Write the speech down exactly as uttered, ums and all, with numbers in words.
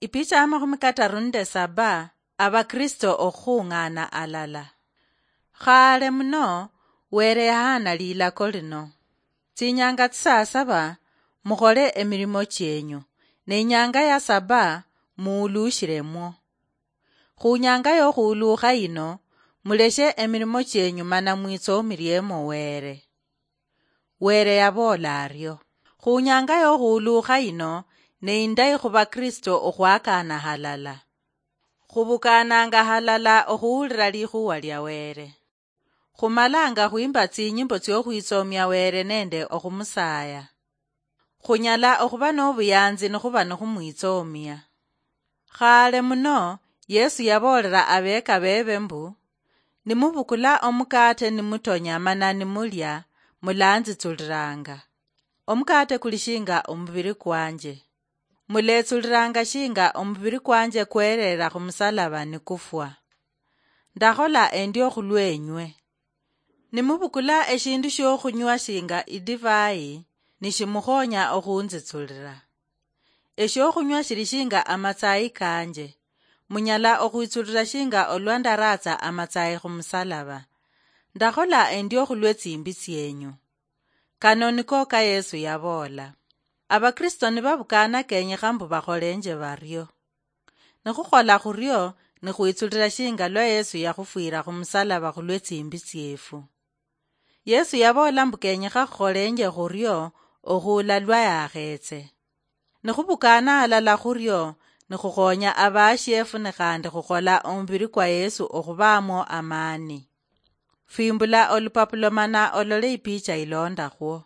Ipicha ya makhumi kataru nende saba. Abakristo okhung'ana alala. Khale muno, Were yahana lilako lino: "Tsinyanga tsisaa saba mukhole emirimo chienyu, ne inyanga ya saba muulushiremwo. Khunyanga yokhuuluukha yino, muleshe emirimo chienyu mana mwitsoomiriemo Were." Were yaboola ario. Khunyanga yokhuuluukha yino, ne indayi khubakristo okhwakaana halala. Khubukaananga halala okhuhulira likhuwa lia Were. Khumalanga khwimba tsinyimbo tsiokhwitsoomia Were nende okhumusaaya. Khunyala okhuba nobuyanzi nikhuba nikhumwitsoomia. Khale muno, Yesu yaboolera abeeka bebe mbu, "Nimubukula omukate nimutonya mana nimulia, mulanzitsuliranga. Omukate kuli shinga omubiri kwanje. Muletsuliranga shinga omubiri kwanje kwereera khumusalaba nikufwa. Ndakhola endio khulwenywe. Nimubukula eshindu shiokhunywa shinga idivai, nishimukhonya okhunzitsulira. Eshiokhunywa shili shinga amatsayi kanje. Munyala okhwitsulira shinga olwa ndaratsa amatsayi khumusalaba. Ndakhola endio khulwe tsimbi tsienyu." Kano niko ka Yesu yaboola. Abakristo nibabukaana kenyekha mbu bakholenje bario. Nikhukhola khurio, nikhwitsulira shinga lwa Yesu yakhufwira khumusalaba khulwe tsimbi tsiefu. Yesu yaboola mbu kenyekha khukholenje khurio okhuula lwa yakhetse. Nikhubukaana halala khurio, nikhukhonya abashiefu nikhandi khukhola omubiri kwa Yesu okhubaamwo amaani. Fwimbula olupapulo mana olole ipicha ilondakhwo.